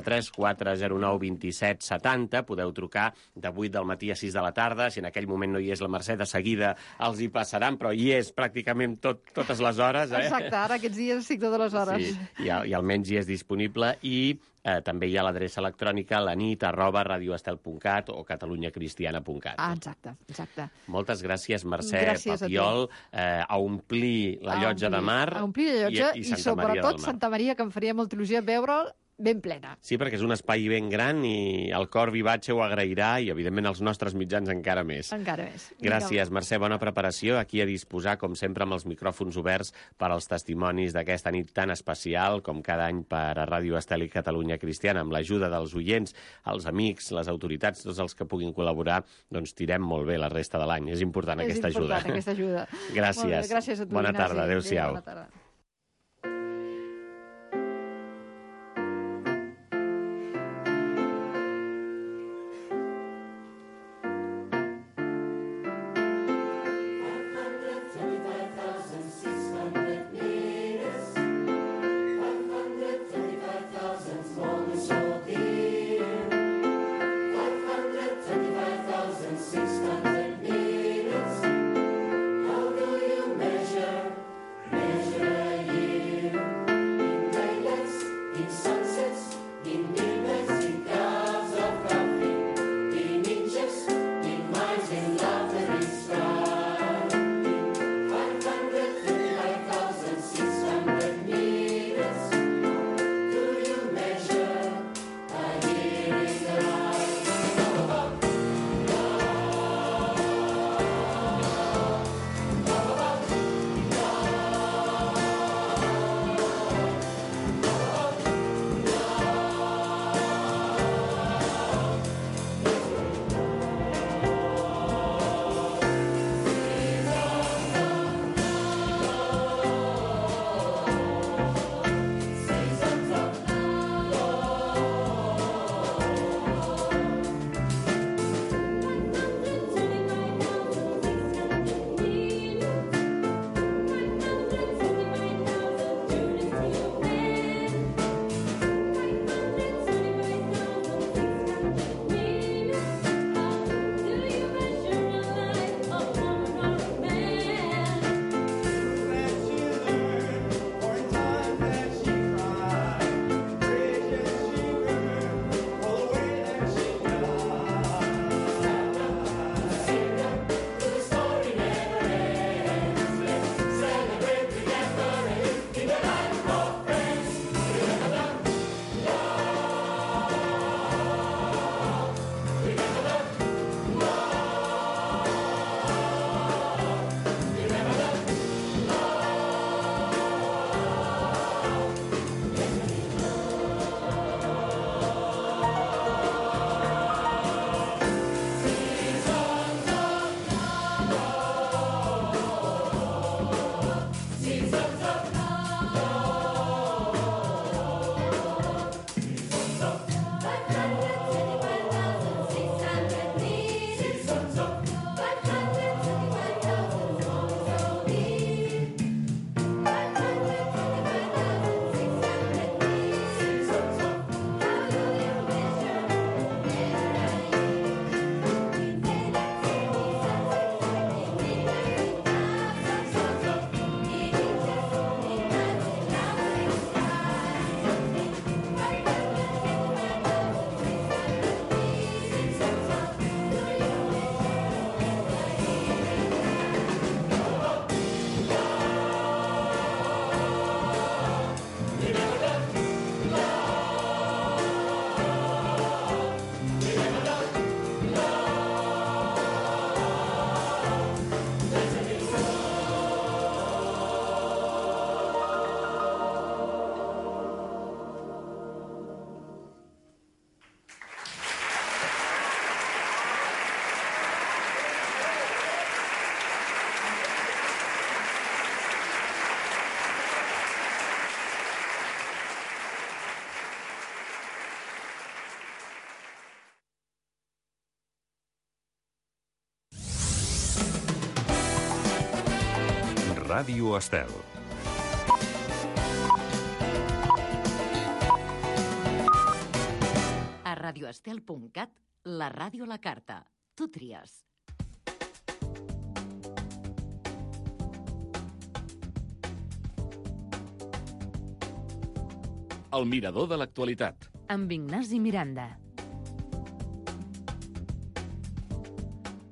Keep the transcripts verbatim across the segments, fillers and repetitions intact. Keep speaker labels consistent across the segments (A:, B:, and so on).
A: tres quatre zero nou dos set setanta. Podeu trucar de vuit del matí a sis de la tarda. Si en aquell moment no hi és la Mercè, de seguida els hi passaran, però hi és pràcticament tot, totes les hores. Eh?
B: Exacte, ara aquests dies estic totes les hores.
A: Sí, i, i almenys hi és disponible. I eh, també hi ha l'adreça electrònica lanit arroba radioestel punt cat o catalunyacristiana punt cat.
B: Ah, exacte, exacte.
A: Moltes gràcies, Mercè
B: Gràcies
A: Papiol, a, eh, a omplir la llotja
B: a omplir,
A: de mar
B: a omplir la llotja
A: i, i,
B: i,
A: Santa Maria
B: sobretot
A: del Mar.
B: Santa Maria, que em faria molta il·lusió veure'l ben plena.
A: Sí, perquè és un espai ben gran i el cor vivatge ho agrairà i, evidentment, els nostres mitjans encara més.
B: Encara més.
A: Gràcies, Mercè. Bona preparació. Aquí a disposar, com sempre, amb els micròfons oberts per als testimonis d'aquesta nit tan especial, com cada any per a Ràdio Estel i Catalunya Cristiana, amb l'ajuda dels oients, els amics, les autoritats, tots els que puguin col·laborar, doncs tirem molt bé la resta de l'any. És important
B: és
A: aquesta
B: important,
A: ajuda.
B: aquesta ajuda.
A: Gràcies.
B: Gràcies a tu,
A: Bona
B: Ignasi.
A: tarda. Adéu-siau.
B: Bona tarda.
C: Ràdio Estel. radio estel punt cat, la ràdio a la carta. Tu tries.
D: El mirador de l'actualitat.
E: Amb Ignasi Miranda.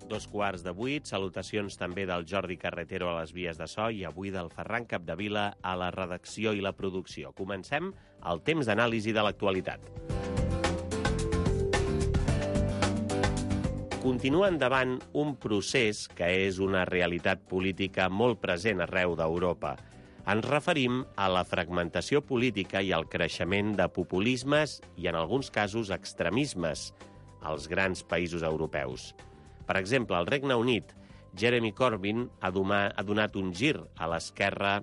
A: Dos quarts de vuit, salutacions també del Jordi Carretero a les vies de so i avui del Ferran Capdevila a la redacció i la producció. Comencem el temps d'anàlisi de l'actualitat. Continua endavant un procés que és una realitat política molt present arreu d'Europa. Ens referim a la fragmentació política i al creixement de populismes i, en alguns casos, extremismes als grans països europeus. Per exemple, al Regne Unit, Jeremy Corbyn ha donat un gir a l'esquerra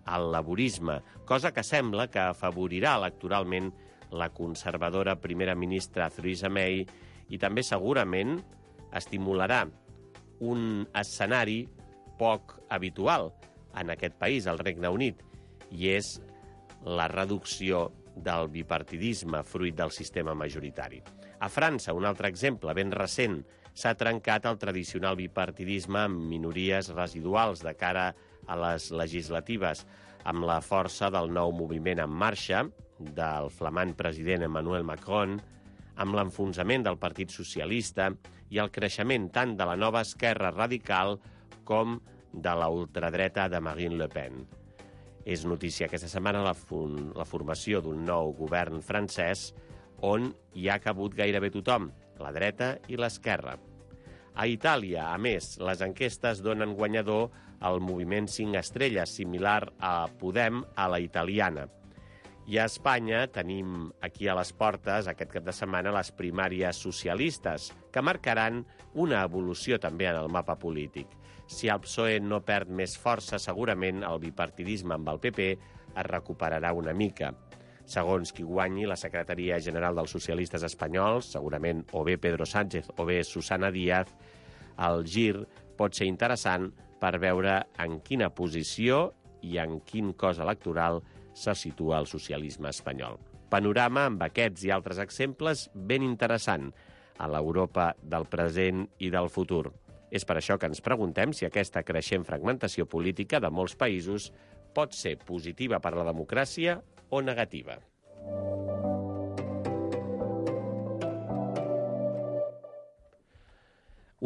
A: al laborisme, cosa que sembla que afavorirà electoralment la conservadora primera ministra Theresa May i també segurament estimularà un escenari poc habitual en aquest país, el Regne Unit, i és la reducció del bipartidisme fruit del sistema majoritari. A França, un altre exemple ben recent, s'ha trencat el tradicional bipartidisme amb minories residuals de cara a les legislatives, amb la força del nou moviment en marxa, del flamant president Emmanuel Macron, amb l'enfonsament del Partit Socialista i el creixement tant de la nova esquerra radical com de la ultradreta de Marine Le Pen. És notícia aquesta setmana la, la formació d'un nou govern francès on hi ha cabut gairebé tothom, la dreta i l'esquerra. A Itàlia, a més, les enquestes donen guanyador al moviment cinc estrelles, similar a Podem a la italiana. I a Espanya tenim aquí a les portes, aquest cap de setmana, les primàries socialistes, que marcaran una evolució també en el mapa polític. Si el P S O E no perd més força, segurament el bipartidisme amb el P P es recuperarà una mica. Segons qui guanyi la secretaria general dels socialistes espanyols, segurament o bé Pedro Sánchez o bé Susana Díaz, el gir pot ser interessant per veure en quina posició i en quin cos electoral se situa el socialisme espanyol. Panorama amb aquests i altres exemples ben interessant a l'Europa del present i del futur. És per això que ens preguntem si aquesta creixent fragmentació política de molts països pot ser positiva per a la democràcia o negativa.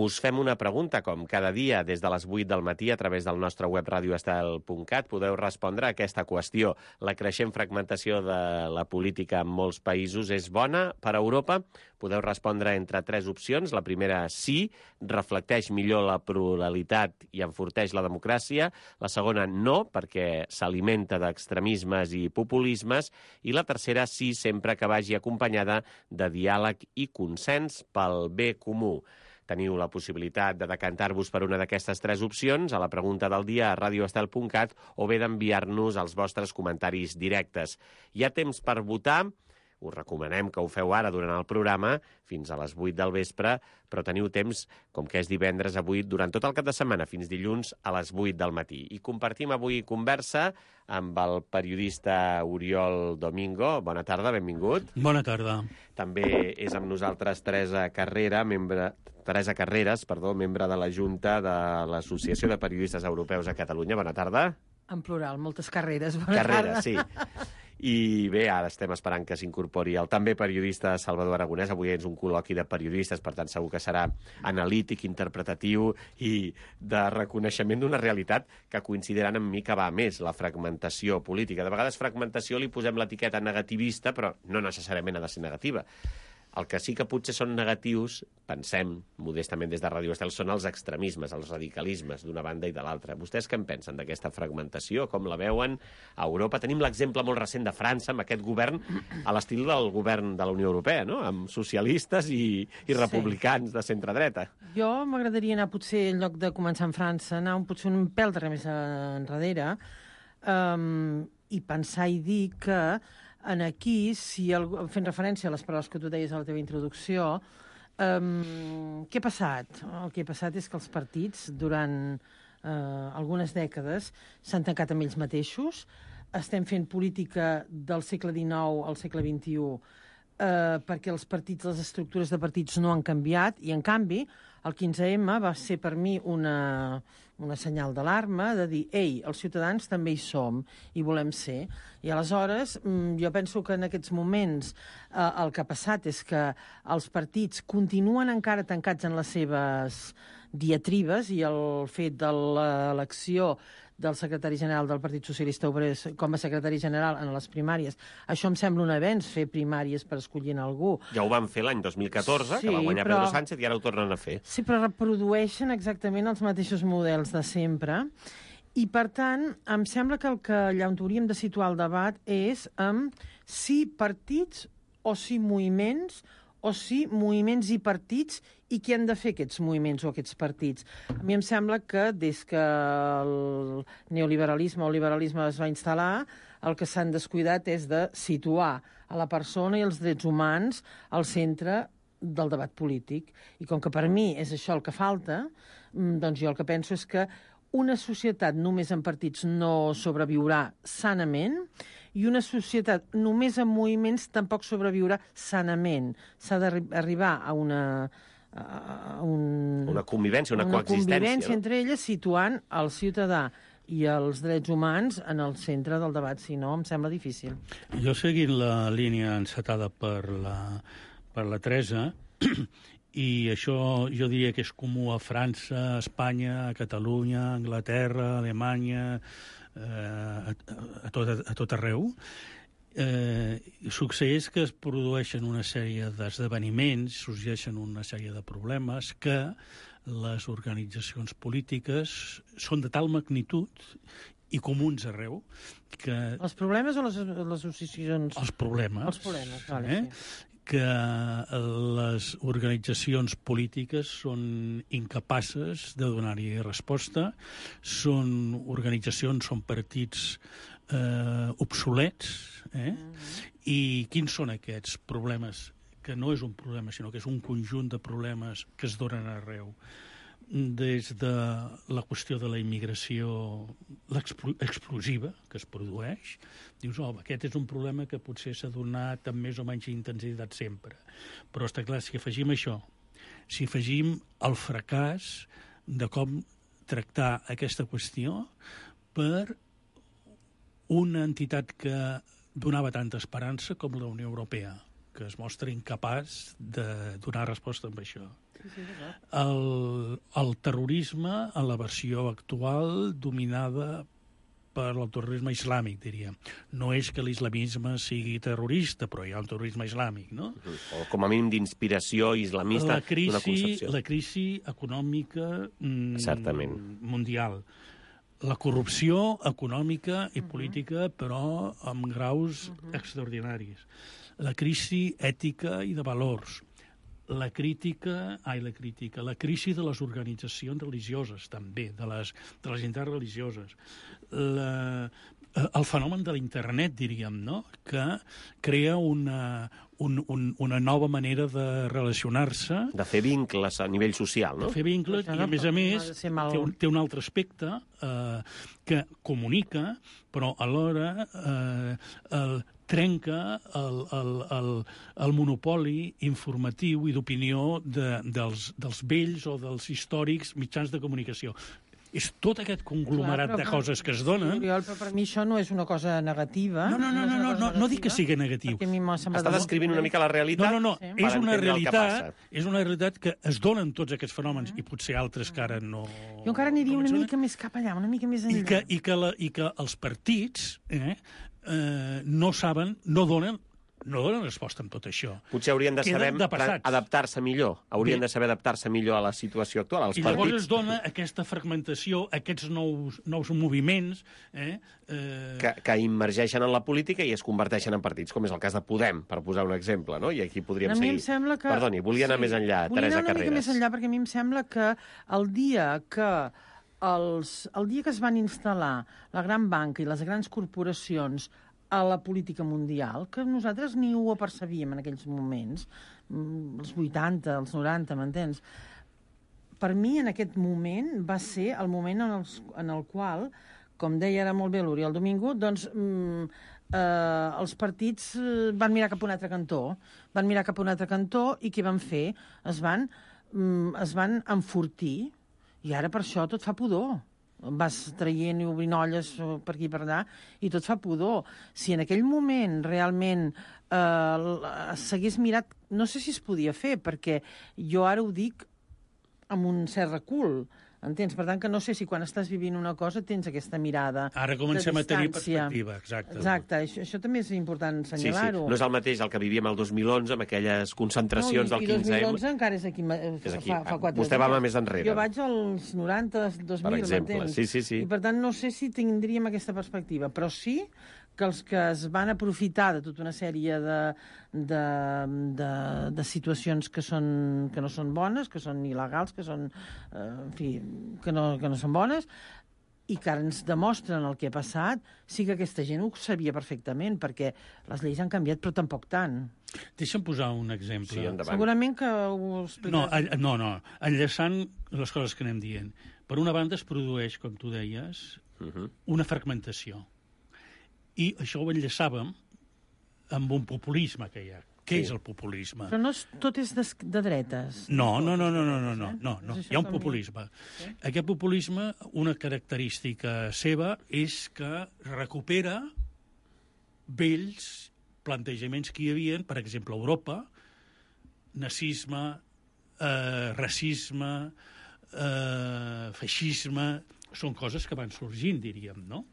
A: Us fem una pregunta, com cada dia, des de les vuit del matí, a través del nostre web radio estel punt cat. Podeu respondre a aquesta qüestió. La creixent fragmentació de la política en molts països és bona per a Europa? Podeu respondre entre tres opcions. La primera, sí, reflecteix millor la pluralitat i enforteix la democràcia. La segona, no, perquè s'alimenta d'extremismes i populismes. I la tercera, sí, sempre que vagi acompanyada de diàleg i consens pel bé comú. Teniu la possibilitat de decantar-vos per una d'aquestes tres opcions a la pregunta del dia a radio estel punt cat o bé d'enviar-nos els vostres comentaris directes. Hi ha temps per votar. Us recomanem que ho feu ara durant el programa, fins a les vuit del vespre, però teniu temps, com que és divendres avui, durant tot el cap de setmana, fins dilluns a les vuit del matí. I compartim avui conversa amb el periodista Oriol Domingo. Bona tarda, benvingut.
F: Bona tarda.
A: També és amb nosaltres Teresa Carrera, membre... Teresa Carreras, perdó, membre de la Junta de l'Associació de Periodistes Europeus a Catalunya. Bona tarda.
B: En plural, moltes carreres. Bona
A: Carreres,
B: tarda.
A: sí. I bé, ara estem esperant que s'incorpori el també periodista Salvador Aragonès. Avui és un col·loqui de periodistes, per tant segur que serà analític, interpretatiu i de reconeixement d'una realitat que coincidiran amb mi que va més, la fragmentació política. De vegades fragmentació li posem l'etiqueta negativista, però no necessàriament ha de ser negativa. El que sí que potser són negatius, pensem, modestament des de Ràdio Estel, són els extremismes, els radicalismes d'una banda i de l'altra. Vostès què en pensen d'aquesta fragmentació? Com la veuen a Europa? Tenim l'exemple molt recent de França, amb aquest govern a l'estil del govern de la Unió Europea, no? Amb socialistes i, i republicans sí. de centre-dreta.
G: Jo m'agradaria anar, potser, en lloc de començar en França, anar un, potser un pèl de més enrere um, i pensar i dir que en aquí, si el, fent referència a les paraules que tu deies a la teva introducció, um, què ha passat? El que ha passat és que els partits, durant uh, algunes dècades, s'han tancat amb ells mateixos. Estem fent política del segle dinou al segle vint-i-u eh, perquè els partits, les estructures de partits no han canviat, i en canvi el quinze ema va ser per mi una, una senyal d'alarma de dir, ei, els ciutadans també hi som i volem ser. I aleshores jo penso que en aquests moments eh, el que ha passat és que els partits continuen encara tancats en les seves diatribes, i el fet de l'elecció del secretari general del Partit Socialista Obrer com a secretari general en les primàries, això em sembla un avenç, fer primàries per escollir algú.
A: Ja ho van fer l'any dos mil catorze,
G: sí,
A: que va guanyar
G: però...
A: Pedro Sánchez, i ara ho tornen a fer.
G: Sí, però reprodueixen exactament els mateixos models de sempre, i per tant em sembla que el que allà on hauríem de situar el debat és um, si partits o si moviments, o si moviments i partits, i què han de fer aquests moviments o aquests partits. A mi em sembla que des que el neoliberalisme o el liberalisme es va instal·lar, el que s'han descuidat és de situar a la persona i els drets humans al centre del debat polític. I com que per mi és això el que falta, doncs jo el que penso és que una societat només amb partits no sobreviurà sanament, i una societat només amb moviments tampoc sobreviurà sanament. S'ha d'arribar a una... A un,
A: una convivència, una,
G: una
A: coexistència. Una
G: convivència
A: no?
G: entre elles, situant el ciutadà i els drets humans en el centre del debat. Si no, em sembla difícil.
E: Jo, seguint la línia encetada per la, per la Teresa, i això jo diria que és comú a França, a Espanya, a Catalunya, a Anglaterra, a Alemanya, eh, a, a, tot, a tot arreu, eh, succeeix que es produeixen una sèrie d'esdeveniments, sorgeixen una sèrie de problemes que les organitzacions polítiques són de tal magnitud i comuns arreu que...
G: Els problemes o les, les associacions?
E: Els problemes.
G: Els problemes, vale,
E: eh? sí. Que les organitzacions polítiques són incapaces de donar-hi resposta, són organitzacions, són partits eh, obsolets, eh? Mm-hmm. I quins són aquests problemes? Que no és un problema, sinó que és un conjunt de problemes que es donen arreu. Des de la qüestió de la immigració explosiva que es produeix, dius, oh, aquest és un problema que potser s'ha donat amb més o menys intensitat sempre. Però està clar, si afegim això, si afegim el fracàs de com tractar aquesta qüestió per una entitat que donava tanta esperança com la Unió Europea, que es mostra incapaç de donar resposta amb això. El, el terrorisme, en la versió actual, dominada per el terrorisme islàmic, diríem. No és que l'islamisme sigui terrorista, però hi ha un terrorisme islàmic, no?
A: O com a mínim d'inspiració islamista d'una concepció.
E: La crisi econòmica mm,
A: certament
E: mundial. La corrupció econòmica i política, però amb graus uh-huh. extraordinaris. La crisi ètica i de valors. La crítica, ai, la crítica, la crisi de les organitzacions religioses, també, de les, de les entitats religioses. La, el fenomen de l'internet, diríem, no?, que crea una, un, un, una nova manera de relacionar-se.
A: De fer vincles a nivell social, no?
E: De fer vincles, i a més a més té un, té un altre aspecte eh, que comunica, però alhora eh, el, trenca el, el, el, el monopoli informatiu i d'opinió de, dels, dels vells o dels històrics mitjans de comunicació. És tot aquest conglomerat Clar, de coses que es donen...
G: Oriol, però per mi això no és una cosa negativa.
E: No, no, no, no, no, no, no dic que sigui negatiu.
A: Està descrivint una mica la realitat.
E: No, no, no, sí. és, una realitat, és una realitat que es donen tots aquests fenòmens, mm. i potser altres que ara no...
G: Jo encara aniria
E: no
G: una mica més cap allà, una mica més enllà.
E: I que, i que, la, i que els partits eh, eh, no saben, no donen... no donen resposta amb tot això.
A: Potser haurien de saber adaptar-se millor. Haurien Bé. de saber adaptar-se millor a la situació actual, als
E: I
A: partits.
E: llavors es dona aquesta fragmentació, aquests nous, nous moviments... Eh,
A: eh... Que, que immergeixen en la política i es converteixen en partits, com és el cas de Podem, per posar un exemple, no? I aquí podríem
G: a
A: seguir.
G: Mi em sembla que...
A: Perdoni, volia anar sí. més enllà,
G: volia
A: Teresa
G: anar una
A: Carreras.
G: mica més enllà, perquè a mi em sembla que el dia que... Els, el dia que es van instal·lar la gran banca i les grans corporacions a la política mundial, que nosaltres ni ho apercebíem en aquells moments, els vuitanta, els noranta, m'entens? Per mi, en aquest moment, va ser el moment en el, en el qual, com deia ara molt bé l'Oriol Domingo, doncs, eh, els partits eh, van mirar cap a un altre cantó, van mirar cap a un altre cantó i què van fer? Es van, mm, es van enfortir i ara per això tot fa pudor. Vas traient i obrint olles per aquí i per allà i tot fa pudor. Si en aquell moment realment eh, s'hagués mirat... No sé si es podia fer, perquè jo ara ho dic amb un cert recul, entens? Per tant, que no sé si quan estàs vivint una cosa tens aquesta mirada
E: Ara comencem
G: de
E: a tenir
G: distància.
E: perspectiva, exacte.
G: Exacte, això, això també és important
A: Sí, sí.
G: assenyalar-ho.
A: No és el mateix el que vivíem el dos mil onze, amb aquelles concentracions
G: no,
A: del
G: i,
A: quinze
G: I
A: eme.
G: dos mil onze encara és aquí,
A: És aquí.
G: fa, fa quatre
A: Vostè va
G: dies.
A: més enrere.
G: Jo vaig als noranta, dos mil,
A: Per exemple,
G: m'entens?
A: sí, sí, sí.
G: I per tant no sé si tindríem aquesta perspectiva, però sí que els que es van aprofitar de tota una sèrie de, de, de, de situacions que, són, que no són bones, que són il·legals, que són, eh, en fi, que no, que no són bones, i que ara ens demostren el que ha passat, sí que aquesta gent ho sabia perfectament, perquè les lleis han canviat, però tampoc tant.
E: Deixa'm posar un exemple.
A: Sí, endavant.
G: Segurament que ho explicaràs.
E: No, all- no, no, enllaçant les coses que anem dient. Per una banda es produeix, com tu deies,
A: Uh -huh.
E: una fragmentació. I això ho enllaçàvem amb un populisme que hi ha. Què
A: Sí.
E: és el populisme?
G: Però no és, tot és de, de dretes.
E: No, no, no, no, no, no,
G: Eh?
E: no, no, no.
G: És això
E: Hi ha un
G: que a mi-
E: populisme. Aquest populisme, una característica seva és que recupera vells plantejaments que hi havia, per exemple, a Europa, nazisme, eh, racisme, eh, feixisme, són coses que van sorgint, diríem, no?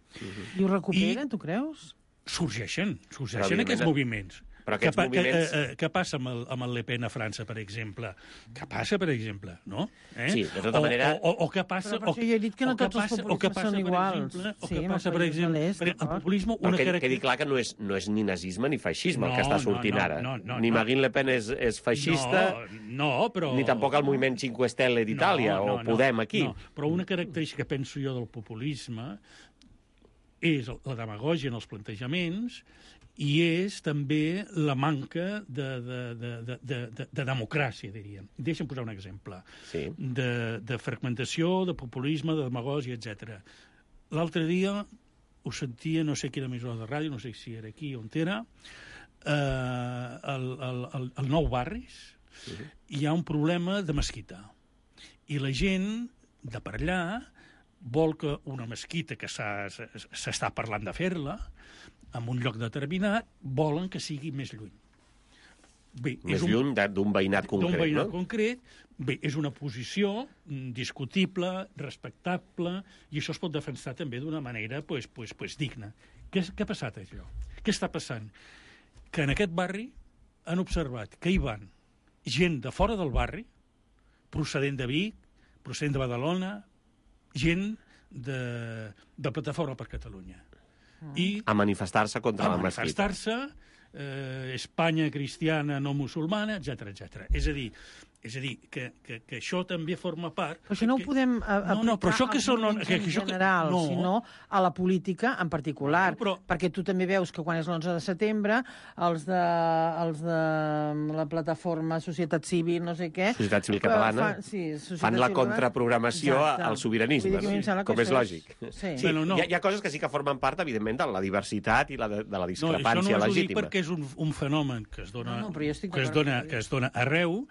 G: I ho recuperen,
E: I-
G: tu creus?
E: Sorgeixen,
A: Però,
E: sorgeixen
A: evidentment,
E: aquests moviments.
A: però aquests
E: què, pa-
A: moviments-
E: Que, eh, eh, què passa amb el, amb el Le Pen a França, per exemple? Què passa, per exemple? No? Eh?
A: Sí, de tota
E: o,
A: manera-
E: O, o, o què passa...
G: Però per
E: o,
G: això jo he dit que no
E: o què
G: tots els
E: passa- o què
G: populismes
E: passa,
G: són
E: per
G: iguals.
E: exemple, o
G: Sí,
E: què
G: amb
E: passa,
G: els
E: per
G: països
E: exemple...
G: de l'est,
E: per- el
G: d'acord.
E: populisme,
A: Però
E: una
A: que,
E: característica...
A: quedi clar que no és, no és ni nazisme ni feixisme el que
E: No,
A: està
E: no,
A: sortint
E: no,
A: ara.
E: no, no,
A: ni
E: no.
A: Marine Le Pen és, és feixista,
E: No, no, però...
A: ni tampoc el moviment Cinque Stelle d'Itàlia,
E: No, no,
A: o Podem aquí.
E: No, però una característica, penso jo, del populisme és la demagògia en els plantejaments i és també la manca de, de, de, de, de, de, de democràcia, diríem. Deixa'm posar un exemple.
A: Sí.
E: De, de fragmentació, de populisme, de demagògia, etcètera. L'altre dia ho sentia, no sé quina emissora de ràdio, no sé si era aquí o on era, eh, el, el, el, el Nou Barris, uh-huh. Hi ha un problema de mesquita. I la gent de per allà vol que una mesquita que s'ha- s'està parlant de fer-la, en un lloc determinat, volen que sigui més lluny. Bé,
A: Més
E: és un,
A: lluny de- d'un veïnat concret,
E: d'un veïnat
A: no?
E: concret. Bé, és una posició mm, discutible, respectable, i això es pot defensar també d'una manera pues, pues, pues, digna. Què, és- què ha passat, això? Què està passant? Que en aquest barri han observat que hi van gent de fora del barri, procedent de Vic, procedent de Badalona, gent de, de Plataforma per Catalunya. I
A: A manifestar-se contra
E: a
A: la mesquita.
E: manifestar-se, eh, Espanya cristiana no musulmana, etcètera, etcètera. És a dir, és a dir que, que, que això també forma part...
G: Però això no ho
E: que-
G: podem a,
E: No, no, però això que
G: als
E: són-
G: moviments
E: que-
G: en
E: que això que-
G: general,
E: no.
G: sinó a la política en particular.
E: No, però-
G: Perquè tu també veus que quan és l'onze de setembre, els de, els de la plataforma Societat Civil, no sé què...
A: Societat Civil
G: eh,
A: Catalana
G: Fan, sí, Societat
A: fan la
G: Civil
A: contraprogramació
G: Exacte.
A: al sobiranisme,
G: Vull dir que a mi em
A: no?
G: sembla que
A: Com és
G: això
A: lògic.
G: Sí.
A: Sí,
E: Bueno, no.
A: hi, ha, hi ha coses que sí que formen part, evidentment, de la diversitat i la de, de la
E: No, això
A: discrepància
E: no us ho dic
A: legítima.
E: perquè és un, un fenomen que es dona,
G: No, no, però jo estic
E: que es
G: d'acord
E: dona,
G: amb tu.
E: que es dona arreu,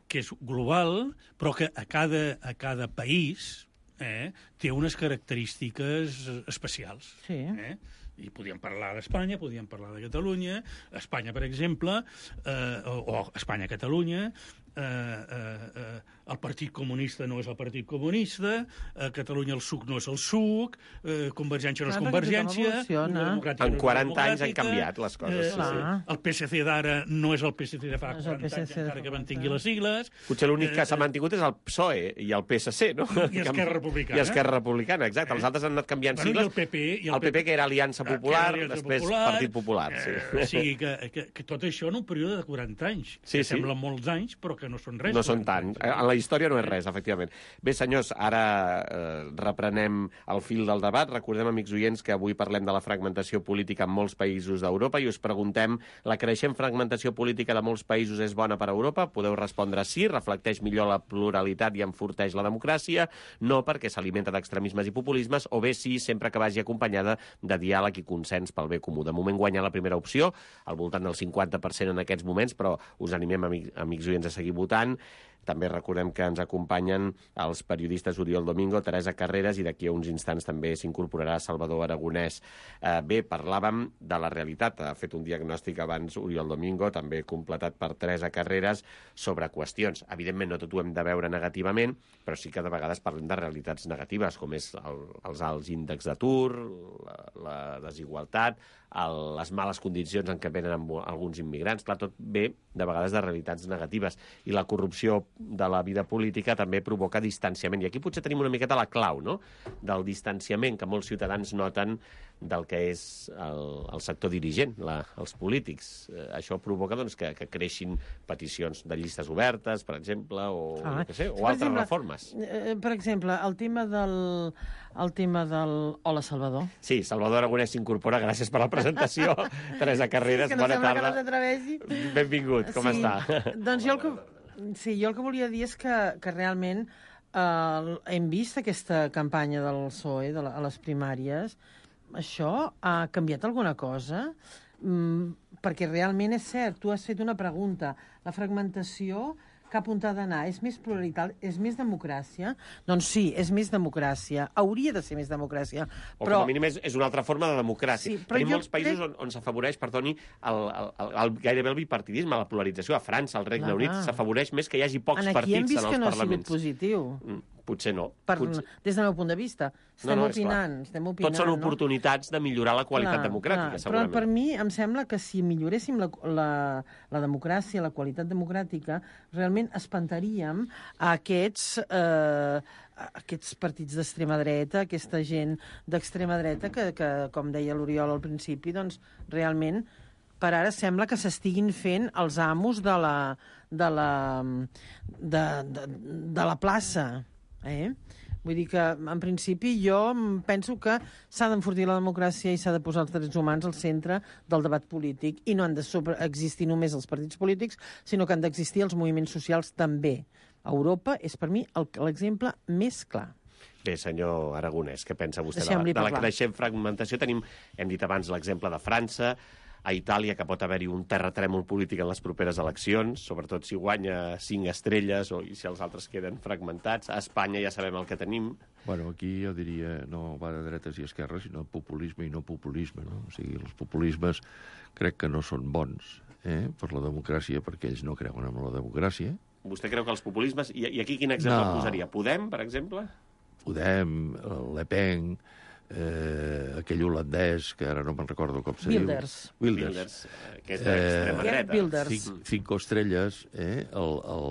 E: que és global, però que a cada, a cada país eh, té unes característiques especials.
G: Sí.
E: Eh? I podíem parlar d'Espanya, podíem parlar de Catalunya. Espanya, per exemple, eh, o, o Espanya-Catalunya, eh, eh, eh, el Partit Comunista no és el Partit Comunista, a Catalunya el suc no és el suc, eh, Convergència no és
G: Clar, perquè tothom
E: Convergència...
G: evoluciona.
E: Unió Democràtica
A: En
E: no és
A: quaranta anys han
E: democràtica,
A: canviat les coses,
E: Eh,
A: sí,
G: sí.
E: El P S C d'ara no és el P S C de fa
G: No és el
E: quaranta anys,
G: P S C de
E: encara
G: fa
E: que
G: quaranta
E: mantingui les sigles.
A: Potser l'únic que
E: Eh,
A: s'ha mantingut és el P S O E i el P S C, no?
E: I Esquerra Republicana.
A: I Esquerra Republicana, exacte. Els altres han anat canviant
E: Bueno, i
A: sigles.
E: el P P, i el
A: el P P, que era Aliança
E: que era
A: Popular,
E: Aliança
A: després
E: Popular,
A: Partit Popular, sí.
E: Eh, o sigui, que, que, que tot això en un període de quaranta anys,
A: Sí,
E: que
A: sí.
E: semblen molts anys, però que que no són res.
A: No són tant. En la història no és res, efectivament. Bé, senyors, ara eh, reprenem el fil del debat. Recordem, amics oients, que avui parlem de la fragmentació política en molts països d'Europa i us preguntem, la creixent fragmentació política de molts països és bona per a Europa? Podeu respondre sí, reflecteix millor la pluralitat i enforteix la democràcia, no perquè s'alimenta d'extremismes i populismes, o bé sí, sempre que vagi acompanyada de diàleg i consens pel bé comú. De moment guanya la primera opció, al voltant del cinquanta per cent en aquests moments, però us animem, amics, amics oients, a seguir votant. També recordem que ens acompanyen els periodistes Oriol Domingo, Teresa Carreras, i d'aquí a uns instants també s'incorporarà Salvador Aragonès. Eh, bé, parlàvem de la realitat. Ha fet un diagnòstic abans Oriol Domingo, també completat per Teresa Carreras, sobre qüestions. Evidentment, no tot ho hem de veure negativament, però sí que de vegades parlem de realitats negatives, com és el, els alts índexs d'atur, la, la desigualtat, el, les males condicions en què venen alguns immigrants. Clar, tot ve de vegades de realitats negatives. I la corrupció de la vida política també provoca distanciament. I aquí potser tenim una miqueta la clau, no?, del distanciament que molts ciutadans noten del que és el, el sector dirigent, la, els polítics. Eh, això provoca doncs, que, que creixin peticions de llistes obertes, per exemple, o,
G: ah,
A: no sé, o
G: per
A: altres
G: exemple,
A: reformes.
G: Eh, per exemple, el tema del... El tema del... Hola, Salvador.
A: Sí, Salvador Aragonès s'incorpora. Gràcies per la presentació. Teresa Carreras,
G: sí, que no
A: bona tarda.
G: Que no s'atreveixi.
A: Benvingut, com
G: sí.
A: està?
G: Doncs jo el que... Sí, jo el que volia dir és que, que realment eh, hem vist aquesta campanya del P S O E de la, a les primàries. Això ha canviat alguna cosa? Mm, perquè realment és cert, tu has fet una pregunta. La fragmentació, cap on ha d'anar? És més pluralitat? És més democràcia? Doncs sí, és més democràcia. Hauria de ser més democràcia.
A: O
G: però...
A: com a mínim és, és una altra forma de democràcia.
G: Sí, però
A: Tenim
G: jo
A: molts països
G: crec...
A: on, on s'afavoreix, perdoni, el, el, el, el, gairebé el bipartidisme, la polarització. A França, al Regne
G: Clar.
A: Unit, s'afavoreix més que hi hagi pocs
G: Aquí
A: partits
G: hem vist
A: en els
G: que no
A: parlaments.
G: ha sigut positiu.
A: Mm, potser no.
G: Per,
A: potser...
G: Des del meu punt de vista. Estem
A: no, no,
G: opinant, estem opinant.
A: Tots són
G: no?
A: oportunitats de millorar la qualitat
G: clar,
A: democràtica,
G: clar.
A: segurament.
G: Però per mi em sembla que si milloréssim la, la, la democràcia, la qualitat democràtica, realment espantaríem a aquests, eh, a aquests partits d'extrema dreta, aquesta gent d'extrema dreta que, que, com deia l'Oriol al principi, doncs realment per ara sembla que s'estiguin fent els amos de la, de la, de, de, de la plaça. Eh? Vull dir que, en principi, jo penso que s'ha d'enfortir la democràcia i s'ha de posar els drets humans al centre del debat polític i no han d'existir només els partits polítics, sinó que han d'existir els moviments socials també. Europa és, per mi, l'exemple més clar.
A: Bé, senyor Aragonès, què pensa vostè de la,
G: Deixem-li
A: de la
G: parlar.
A: creixent fragmentació? Tenim, hem dit abans, l'exemple de França, a Itàlia, que pot haver-hi un terratrèmol polític en les properes eleccions, sobretot si guanya cinc estrelles o si els altres queden fragmentats. A Espanya ja sabem el que tenim.
F: Bueno, aquí jo diria no va de dretes i esquerres, sinó populisme i no populisme, no? O sigui, els populismes crec que no són bons eh, per la democràcia, perquè ells no creuen en la democràcia.
A: Vostè creu que els populismes... I, i aquí quin exemple
F: No.
A: posaria? Podem, per exemple?
F: Podem, Le Pen, eh, aquell holandès, que ara no me'n recordo com se
G: Wilders.
F: diu. Wilders.
A: Wilders, eh, que és d'extrema
G: Geert
A: dreta.
G: Wilders.
F: Cinc, cinco estrelles, eh? El, el,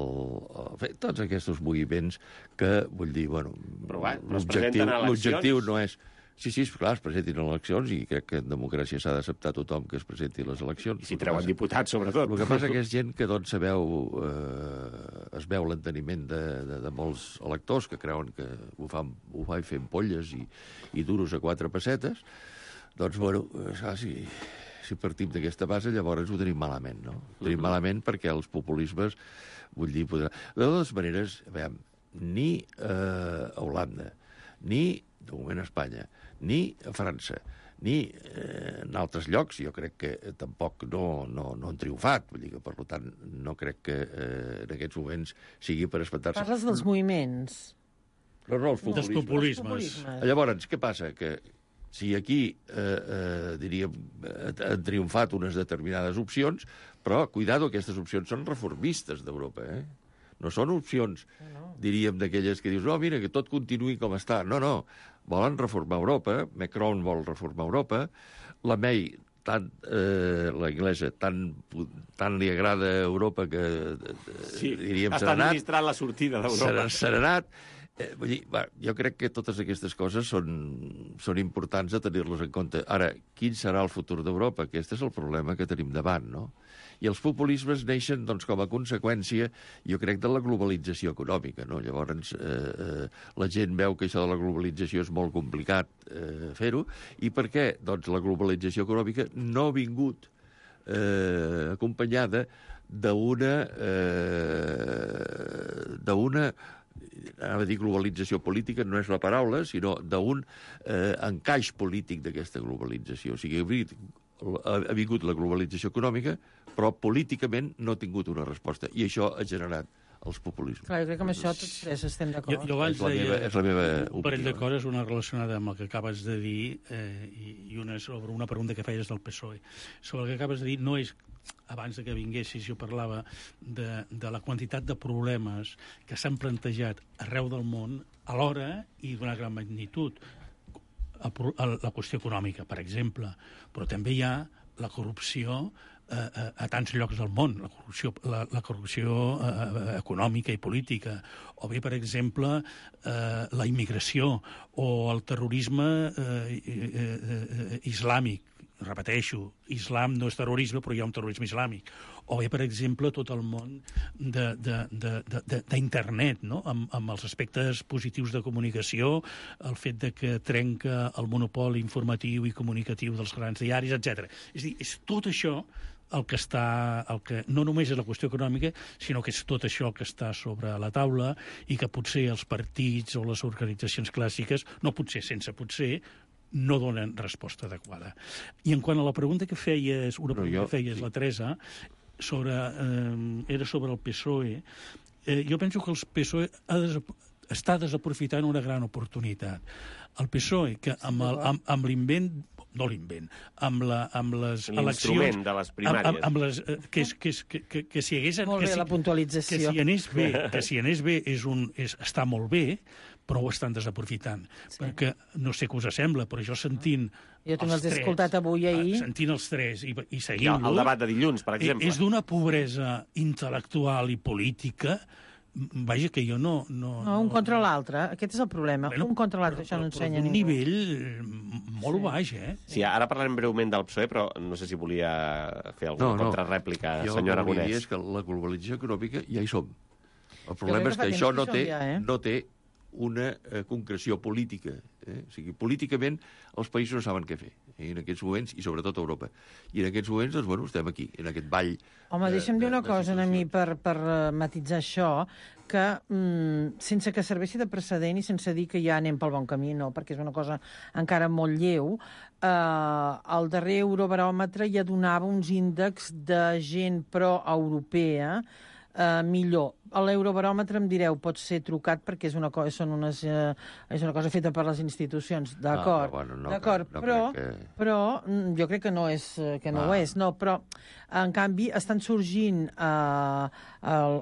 F: el, bé, tots aquests moviments que, vull dir, bueno,
A: Però va, no es
F: l'objectiu
A: presenten a eleccions.
F: l'objectiu no és... Sí, sí, clar, es presentin a eleccions i crec que en democràcia s'ha d'acceptar tothom que es presenti a les eleccions.
A: I si treuen diputats, sobretot.
F: El que passa que és gent que doncs, es veu, eh, es veu l'enteniment de, de, de molts electors que creuen que ho, fan, ho fa fent polles i, i duros a quatre pessetes. Doncs, bueno, saps, si, si partim d'aquesta base, llavors ho tenim malament, no? Ho tenim malament perquè els populismes, vull dir, podrà... De totes maneres, a veure, ni eh, a Holanda, ni, de moment, a Espanya, ni a França, ni eh, en altres llocs, jo crec que eh, tampoc no, no, no han triomfat. Vull dir que, per tant, no crec que eh, en aquests moments sigui per espantar-se.
G: Parles dels moviments.
F: No, no, els
E: Dels
F: populismes.
E: populismes.
F: Llavors, què passa? Que si aquí, eh, eh, diríem, eh, han triomfat unes determinades opcions, però, cuidado, aquestes opcions són reformistes d'Europa, eh? No són opcions, diríem, d'aquelles que dius, no, mira, que tot continuï com està. No, no, volen reformar Europa, Macron vol reformar Europa, la May, tant, eh, la inglesa, tant, tant li agrada a Europa que,
A: Sí,
F: diríem,
A: està
F: serenat.
A: administrant la sortida d'Europa.
F: Serenat. Eh, vull dir, va, jo crec que totes aquestes coses són, són importants de tenir-les en compte. Ara, quin serà el futur d'Europa? Aquest és el problema que tenim davant, no? I els populismes neixen, doncs, com a conseqüència, jo crec, de la globalització econòmica, no? Llavors, eh, eh, la gent veu que això de la globalització és molt complicat eh, fer-ho. I per què? Doncs la globalització econòmica no ha vingut eh, acompanyada d'una... Eh, d'una anava a dir globalització política, no és la paraula, sinó d'un eh, encaix polític d'aquesta globalització. O sigui, ha, ha vingut la globalització econòmica, però políticament no ha tingut una resposta. I això ha generat els populismes.
G: Clar, jo crec que amb això tots tres estem d'acord.
E: Jo, jo abans
F: és la
E: deia
F: meva, és la meva
E: un parell de
F: opinió.
E: coses, una relacionada amb el que acabes de dir eh, i, i una sobre una pregunta que feies del P S O E. Sobre el que acabes de dir, no és... Abans de que vinguessis jo parlava de, de la quantitat de problemes que s'han plantejat arreu del món alhora i d'una gran magnitud. A, a, la qüestió econòmica, per exemple, però també hi ha la corrupció a, a, a tants llocs del món, la corrupció, la, la corrupció eh, econòmica i política, o bé, per exemple, eh, la immigració o el terrorisme eh, eh, eh, islàmic. Repeteixo, islam no és terrorisme, però hi ha un terrorisme islàmic. O bé, per exemple, tot el món d'internet, no? amb, amb els aspectes positius de comunicació, el fet de que trenca el monopoli informatiu i comunicatiu dels grans diaris, etcètera. És a dir, és tot això el que està, el que no només és la qüestió econòmica, sinó que és tot això el que està sobre la taula i que potser els partits o les organitzacions clàssiques, no potser, sense potser, no donen resposta adequada. I en quant a la pregunta que feies, una
F: Però
E: pregunta
F: jo,
E: que feies,
F: sí.
E: la Teresa, sobre, eh, era sobre el P S O E, eh, jo penso que el P S O E ha des, està desaprofitant una gran oportunitat. El P S O E, que amb, el, amb, amb l'invent, no l'invent, amb, la, amb les eleccions...
A: L'instrument de les primàries.
E: Amb, amb les, eh, que, és, que, és, que, que, que si hagués...
G: Molt
E: que
G: bé,
E: si,
G: la puntualització.
E: Que si anés bé, que si anés bé és un, és, està molt bé, però ho estan desaprofitant. Sí. Perquè no sé què us sembla, però jo sentint
G: Jo també els he
E: tres,
G: escoltat avui i ahir.
E: Sentint els tres i, i
A: I
E: seguint-los...
A: el, el debat de dilluns, per exemple.
E: És d'una pobresa intel·lectual i política, vaja, que jo no... No,
G: No, un contra l'altre. Aquest és el problema.
E: Bueno,
G: un contra l'altre, això no
E: però
G: ensenya
E: d'un
G: ningú.
E: nivell molt
G: Sí.
E: baix, eh?
A: Sí, ara parlarem breument del P S O E, però no sé si volia fer alguna
F: No, no.
A: contrarèplica,
F: Jo
A: senyor
F: el que volia dir
A: Aragonès.
F: és que la globalització econòmica ja hi som. El
G: crec
F: problema
G: que
F: és
G: fa
F: que
G: temps
F: això
G: que
F: no
G: hi
F: té,
G: som ja, eh?
F: no té una eh, concreció política. Eh? O sigui, políticament els països no saben què fer eh? en aquests moments, i sobretot a Europa. I en aquests moments, doncs, bueno, estem aquí, en aquest ball.
G: Home,
F: de-
G: deixa'm dir
F: de-
G: una
F: de
G: cosa a mi
F: situacions.
G: per, per eh, matitzar això, que mm, sense que serveixi de precedent i sense dir que ja anem pel bon camí, no, perquè és una cosa encara molt lleu, eh, el darrer Eurobaròmetre ja donava uns índexs de gent pro-europea eh, millor. A l'Eurobaròmetre em direu, pot ser trucat perquè és una, co són unes, eh, és una cosa feta per les institucions, d'acord,
F: Ah, però bueno, no
G: d'acord,
F: crec- no
G: però,
F: crec que-
G: però mm, jo crec que no, és, eh, que no
F: Ah.
G: ho és, no, però en canvi estan sorgint eh, a,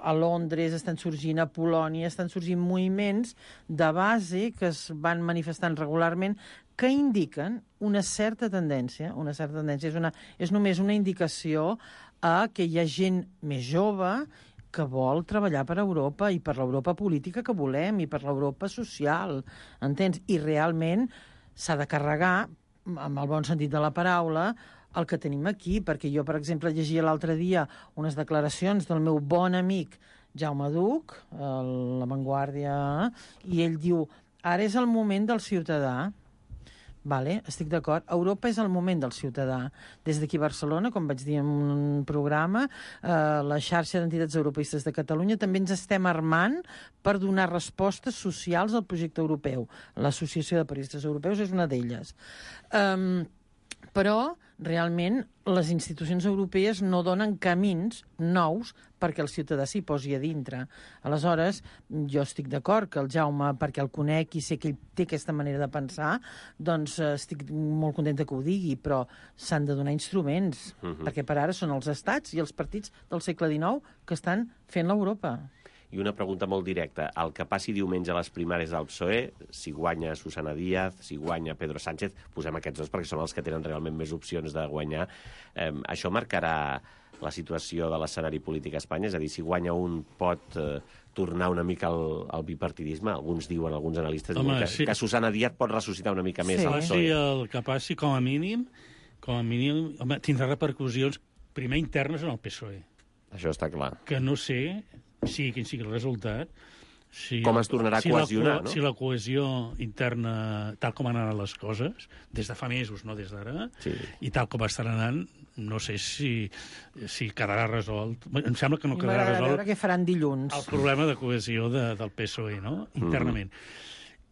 G: a Londres, estan sorgint a Polònia, estan sorgint moviments de base que es van manifestant regularment que indiquen una certa tendència, una certa tendència, és, una, és només una indicació a que hi ha gent més jove que vol treballar per Europa i per l'Europa política que volem i per l'Europa social, entens? I realment s'ha de carregar, amb el bon sentit de la paraula, el que tenim aquí, perquè jo, per exemple, llegia l'altre dia unes declaracions del meu bon amic Jaume Duc, a La Vanguardia, i ell diu, ara és el moment del ciutadà. Vale, estic d'acord. Europa és el moment del ciutadà. Des d'aquí a Barcelona, com vaig dir en un programa, eh, la xarxa d'entitats europeistes de Catalunya també ens estem armant per donar respostes socials al projecte europeu. L'Associació de Periodistes Europeus és una d'elles. Um, però, realment, les institucions europees no donen camins nous perquè el ciutadà s'hi posi a dintre. Aleshores, jo estic d'acord que el Jaume, perquè el conec i sé que ell té aquesta manera de pensar, doncs eh, estic molt contenta que ho digui, però s'han de donar instruments, uh-huh. perquè per ara són els estats i els partits del segle dinou que estan fent l'Europa.
A: I una pregunta molt directa. El que passi diumenge a les primàries del P S O E, si guanya Susana Díaz, si guanya Pedro Sánchez, posem aquests dos perquè són els que tenen realment més opcions de guanyar, eh, això marcarà la situació de l'escenari polític a Espanya? És a dir, si guanya un pot eh, tornar una mica al, al bipartidisme? Alguns diuen, alguns analistes
E: Home,
A: diuen que,
E: sí.
A: que Susana Díaz pot ressuscitar una mica més
G: Sí.
A: el P S O E.
E: Passi el que passi, com a mínim, com a mínim, home, tindrà repercussions primer internes en el P S O E,
A: Això està clar.
E: que no sé, sigui quin sigui el resultat, si,
A: Com es tornarà a
E: si la
A: cohesionar,
E: co-
A: no?
E: Si la cohesió interna, tal com han anat les coses, des de fa mesos, no des d'ara,
A: Sí.
E: i tal com estan anant, no sé si, si quedarà resolt. Bé, em sembla que no
G: I
E: quedarà
G: m'agrada veure
E: resolt
G: què faran dilluns.
E: el problema de cohesió de, del P S O E, no?, internament.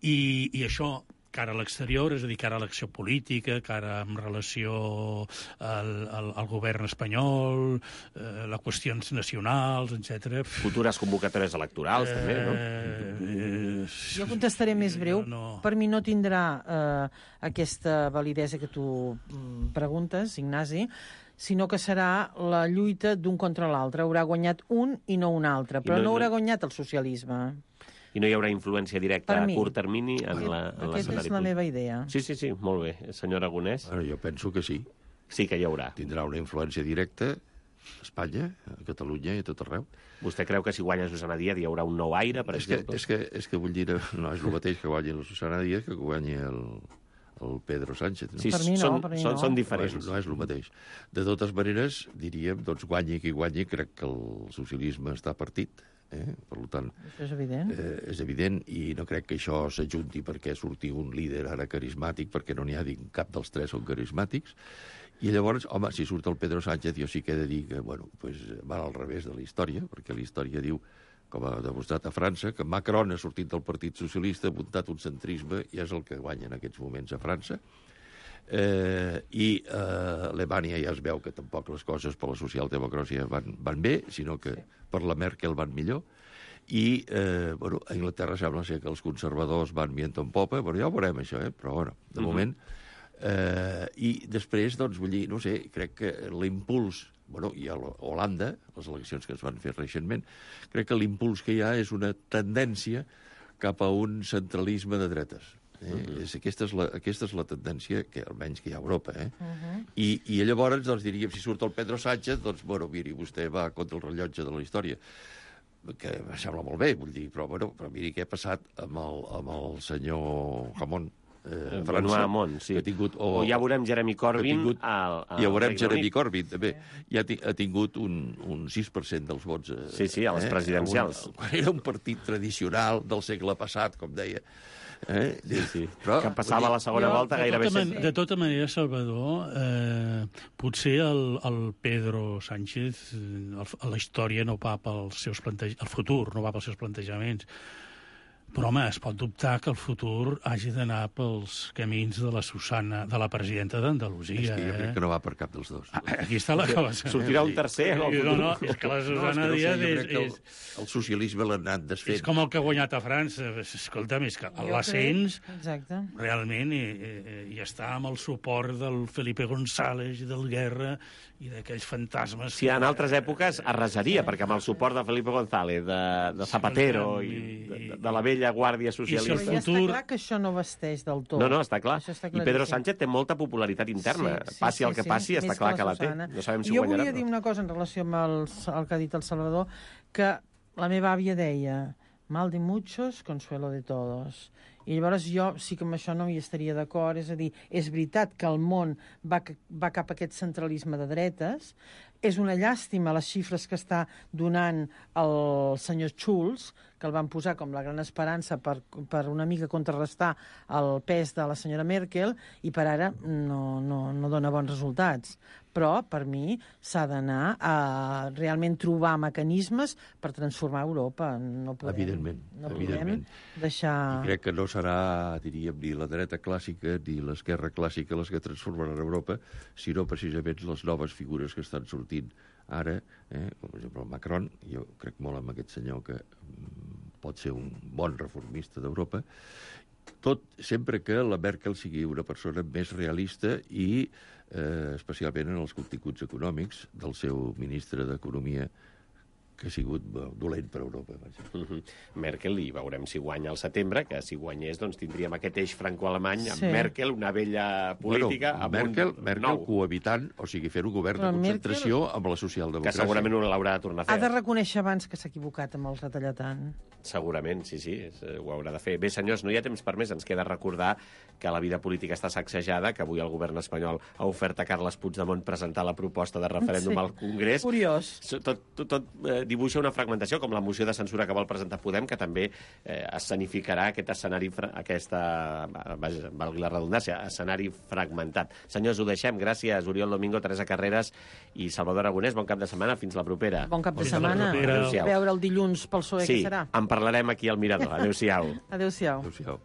E: I, I això, cara a l'exterior, és a dir, cara a l'acció política, cara en relació al, al, al govern espanyol, eh, les qüestions nacionals, etcètera.
A: Futures convocatòries electorals, eh, també, no?
E: Eh,
G: Jo contestaré més breu.
E: No.
G: Per mi no tindrà eh, aquesta validesa que tu mm, preguntes, Ignasi, sinó que serà la lluita d'un contra l'altre. Haurà guanyat un i no un altre, però
A: no-
G: no,
A: no-
G: haurà guanyat el socialisme.
A: I no hi haurà influència directa
G: Per
A: a
G: mi.
A: curt termini en la- en
G: Aquesta és
A: l'escenari
G: la
A: polític.
G: meva idea.
A: Sí, sí, sí, molt bé. Senyor Aragonès,
F: Bueno, jo penso que sí.
A: sí que hi haurà.
F: Tindrà una influència directa a Espanya, a Catalunya i a tot arreu.
A: Vostè creu que si guanya Susana Díaz hi haurà un nou aire, per
F: És que,
A: exemple?
F: és, que, és que vull dir, no és el mateix que guanyi la Susana Díaz que guanyi el, el Pedro Sánchez. No?
A: Sí,
G: Per mi no,
A: són,
G: per mi
A: són,
G: no.
A: són
F: No és,
A: diferents.
F: no és el mateix. De totes maneres, diríem, doncs guanyi qui guanyi, crec que el socialisme està partit. Eh? Per tant,
G: Això és evident.
F: eh, és evident i no crec que això s'ajunti perquè surti un líder ara carismàtic, perquè no n'hi ha dit cap dels tres són carismàtics. I llavors, home, si surt el Pedro Sánchez, jo sí que he de dir que, bueno, pues, va al revés de la història, perquè la història diu, com ha demostrat a França, que Macron ha sortit del Partit Socialista, ha muntat un centrisme i és el que guanya en aquests moments a França. Eh, I eh, a Alemanya ja es veu que tampoc les coses per la socialdemocràcia van, van bé, sinó que per la Merkel van millor. I eh, bueno, a Anglaterra sembla ser que els conservadors van viento en popa, però ja ho veurem això, eh? Però bueno, de
A: Mhm.
F: moment... Eh, I després, doncs, vull dir, no sé, crec que l'impuls, bueno, i a Holanda, les eleccions que es van fer recentment, crec que l'impuls que hi ha és una tendència cap a un centralisme de dretes. Eh? Uh-huh. és, aquesta, és la, aquesta és la tendència que almenys que hi ha a Europa. Eh? Uh-huh. I, I llavors, doncs, diríem, si surt el Pedro Sánchez, doncs, bueno, miri, vostè va contra el rellotge de la història, que em sembla molt bé, vull dir, però, bueno, però miri què ha passat amb el, amb el senyor Jamón, eh,
A: Benoît
F: França,
A: Hamon, sí.
F: que ha tingut...
A: O, o ja veurem Jeremy Corbyn
F: ha tingut,
A: al, al
F: ja veurem
A: Regne
F: Jeremy
A: Unit.
F: Corbyn, també. Ja ha, ti- ha tingut un, un sis per cent dels vots. Eh,
A: Sí, sí, a les presidencials.
F: Un, quan era un partit tradicional del segle passat, com deia. Eh?
A: Sí, sí.
F: Però,
A: que passava a la segona
G: jo-
A: volta
E: De
A: gairebé
E: tota, man
A: sempre.
E: de tota manera, Salvador, eh, potser el, el Pedro Sánchez, eh, el, la història no va pels seus plantej... el futur no va pels seus plantejaments, però, home, es pot dubtar que el futur hagi d'anar pels camins de la Susana, de la presidenta
F: És
E: d'Andalusia.
F: que jo crec
E: Eh?
F: que no va per cap dels dos.
E: Aquí està la cosa.
A: Sortirà un tercer en el
E: No,
A: futur.
E: no, és que la
F: No, és
E: Susana
F: que no sé,
E: Díaz
F: jo
E: és,
F: crec que el,
E: és,
F: el socialisme l'ha anat desfent.
E: és com el que ha guanyat a França. Escolta'm, és que
G: Jo
E: l'ascens
G: crec- Exacte.
E: realment i, i, i està amb el suport del Felipe González i del Guerra i d'aquells fantasmes...
A: Si en altres èpoques arrasaria, perquè amb el suport de Felipe González, de, de Zapatero i de, de la vella Guàrdia
E: I si
A: Socialista...
E: el
G: Però ja
E: futur-
G: està clar que això no vesteix del tot.
A: No, no, està clar.
G: Això està
A: I Pedro
G: claríssim.
A: Sánchez té molta popularitat interna. Passi el que passi, està
G: més
A: clar que la té.
G: Susana.
A: No sabem si
G: jo
A: guanyarà.
G: volia dir una cosa en relació amb el, el que ha dit el Salvador, que la meva àvia deia mal de muchos, consuelo de todos. I llavors jo sí que amb això no hi estaria d'acord, és a dir, és veritat que el món va, va cap a aquest centralisme de dretes, és una llàstima les xifres que està donant el senyor Schulz, que el van posar com la gran esperança per, per una mica contrarrestar el pes de la senyora Merkel, i per ara no, no, no dona bons resultats. Però, per mi, s'ha d'anar a realment trobar mecanismes per transformar Europa. No podem,
F: Evidentment,
G: no podem
F: evidentment.
G: deixar...
F: I crec que no serà, diríem, ni la dreta clàssica ni l'esquerra clàssica les que transformaran Europa, sinó precisament les noves figures que estan sortint ara, eh? Com per exemple el Macron. Jo crec molt en aquest senyor que mm, pot ser un bon reformista d'Europa, tot sempre que la Merkel sigui una persona més realista i eh, especialment en els continguts econòmics del seu ministre d'Economia que ha sigut dolent per Europa. Vaja.
A: Uh -huh. Merkel, i veurem si guanya al setembre, que si guanyés doncs, tindríem aquest eix franco-alemany amb
G: Sí.
A: Merkel, una vella política,
F: Bueno,
A: amb
F: Merkel,
A: un
F: Merkel
A: nou,
F: cohabitant, o sigui, fer un govern
G: Però
F: de concentració amb la
A: que
F: socialdemocràcia.
A: segurament no l'haurà de tornar a
G: Ha
A: fer.
G: de reconèixer abans que s'ha equivocat amb el retallar-tant.
A: Segurament, sí, sí, és, ho haurà de fer. Bé, senyors, no hi ha temps per més. Ens queda recordar que la vida política està sacsejada, que avui el govern espanyol ha ofert a Carles Puigdemont presentar la proposta de referèndum
G: Sí.
A: al Congrés.
G: Curiós.
A: Tot, tot, tot eh, dibuixa una fragmentació, com la moció de censura que vol presentar Podem, que també eh, escenificarà aquest escenari, fra- aquesta, vaja, valgui la redundància, escenari fragmentat. Senyors, ho deixem. Gràcies, Oriol Domingo, Teresa Carreras i Salvador Aragonès. Bon cap de setmana. Fins la propera.
G: Bon cap de
E: Fins la
G: setmana.
E: propera.
A: Adéu-siau.
G: A veure el dilluns pel P S O E
A: Sí,
G: què serà.
A: en parlarem aquí al Mirador. Adéu-siau.
G: Adéu-siau.
F: Adéu-siau.